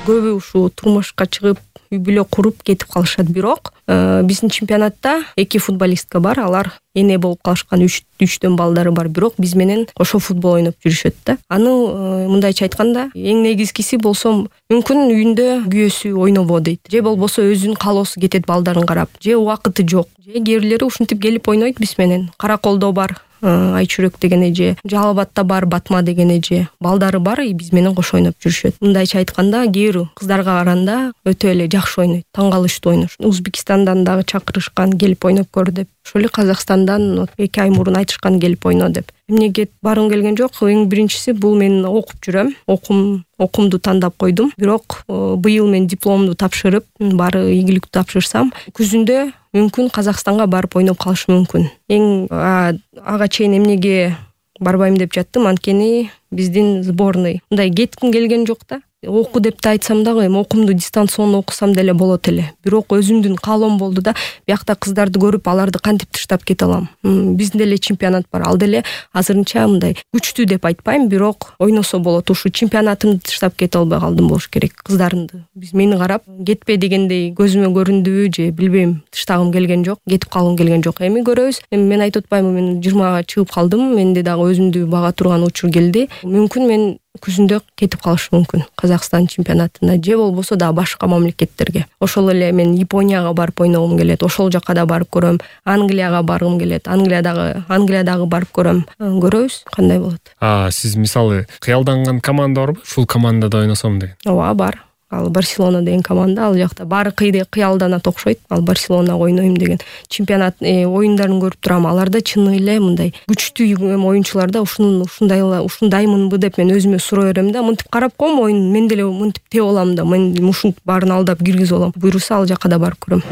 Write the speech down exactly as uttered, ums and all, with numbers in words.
көбү ушу турмушка чыгып үй бүлө куруп кетип калышат. Бирок биздин чемпионатта эки футболистка бар, алар эне болуп калышкан үч үчтөн балдары бар, бирок биз менен кошо футбол ойноп жүрүшөт да. Аны мындайча айтканда, эң негизгиси болсо мүмкүн үйүндө күйөөсү ойнобо дейт, же болбосо өзүнүн каалоосу кетет балдарын карап, же убакыты жок, же кээ бирлери ушинтип келип ойнойт биз менен. Караколдо бар Айчүрөк деген эже, Жалал Абадта бар Батма деген эже, балдары бар, биз менен кошо ойноп жүрүшөт. Мындайча айтканда, кээ бир кыздарга караганда өтө эле жакшы ойнойт, таң калыштуу ойнош. Узбекистандан дагы чакырышкан, келип ойноп көр деп. Ошол эле Казакстандан эки ай мурун айтышкан келип ойно деп. Эмнеге баргым келген жок? Эң биринчиси, бул мен окуп жүрөм. Окум окумду тандап койдум. Бирок быйыл мен дипломду тапшырып, баары ийгиликтүү тапшырсам, күзүндө мүмкүн Казакстанга барып ойноп калышым мүмкүн. Эң ага чейин эмнеге барбайм деп жаттым, анткени биздин сборный мындай кетким келген жок да. Оку деп да айтсам дагы, эми окумду дистанционно окусам деле болот эле. Бирок өзүмдүн каалоом болду да, биякта кыздарды көрүп, аларды кантип таштап кете алам? Биздин деле чемпионат бар. Ал деле азырынча мындай күчтүү деп айтпайм, бирок ойносо болот. Ушу чемпионатымды таштап кете албай калдым болуш керек. Кыздарымды биз мени карап кетпе дегендей көзүмө көрүндүбү же билбейм, таштагым келген жок, кетип калгым келген жок. Эми көрөбүз. Эми мен айтып атпаймынбы, мен жыйырмага чыгып калдым. Менде дагы өзүмдү бага турган учур келди. Мүмкүн мен күзүндө кетип калышым мүмкүн Казакстан чемпионатына, же болбосо да башка мамлекеттерге. Ошол эле мен Японияга барып ойногум келет, ошол жака да барып көрөм. Англияга баргым келет, Англиядагы Англиядагы барып көрөм. Көрөбүз кандай болот. А сиз мисалы кыялданган команда барбы? Ушул командада ойносом деген. Ооба, бар. Ал Барселона деген команда, ал жакта баары кыйды кыялданат окшойт. Ал Барселонага ойнойм деген чемпионат оюндарын көрүп турам. Аларда чын эле мындай күчтүү оюнчуларда ушунун ушундай ушундаймынбы деп мен өзүмө суроо берем да. Мынтип карап коем оюн, мен деле мынтип теп алам да. Мен ушунтип баарын алдап киргизип алам. Буйруса ал жака да барып көрөм.